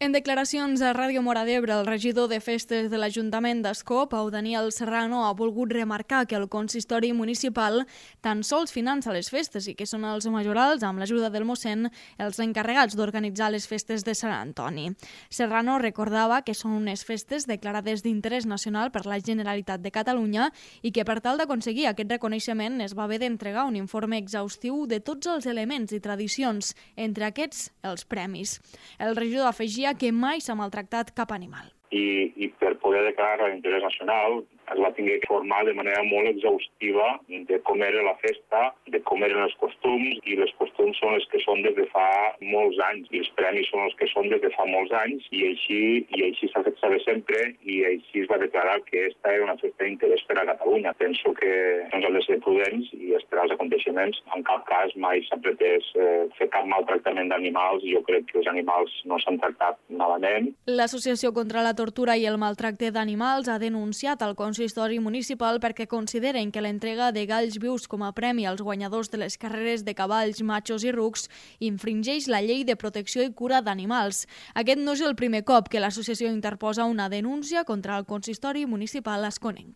En declaracions a Ràdio Móra d'Ebre, el regidor de Festes de l'Ajuntament d'Ascó, Pau Daniel Serrano, ha volgut remarcar que el consistori municipal tan sols finança les festes i que són els majorals, amb l'ajuda del mossèn, els encarregats d'organitzar les festes de Sant Antoni. Serrano recordava que són unes festes declarades d'interès nacional per la Generalitat de Catalunya i que per tal d'aconseguir aquest reconeixement es va haver d'entregar un informe exhaustiu de tots els elements i tradicions, entre aquests els premis. El regidor afegia que mai s'ha maltractat cap animal. I per poder declarar l'interès nacional es va tenir que formar de manera molt exhaustiva de com era la festa, de com eren els costums, i els costums són els que són des de fa molts anys, i els premis són els que són des de fa molts anys, i així s'ha fet saber sempre, i així es va declarar que aquesta era una festa d'interès per a Catalunya. Penso que ens hem de ser prudents i esperar els aconteixements. En cap cas mai s'ha pretès fer cap maltractament d'animals, i jo crec que els animals no s'han tractat malament. L'Associació contra la Tortura i el Maltracte d'Animals ha denunciat al consistori municipal perquè consideren que l'entrega de galls vius com a premi als guanyadors de les carreres de cavalls, machos i rucs infringeix la llei de protecció i cura d'animals. Aquest no és el primer cop que l'associació interposa una denúncia contra el consistori municipal asconenc.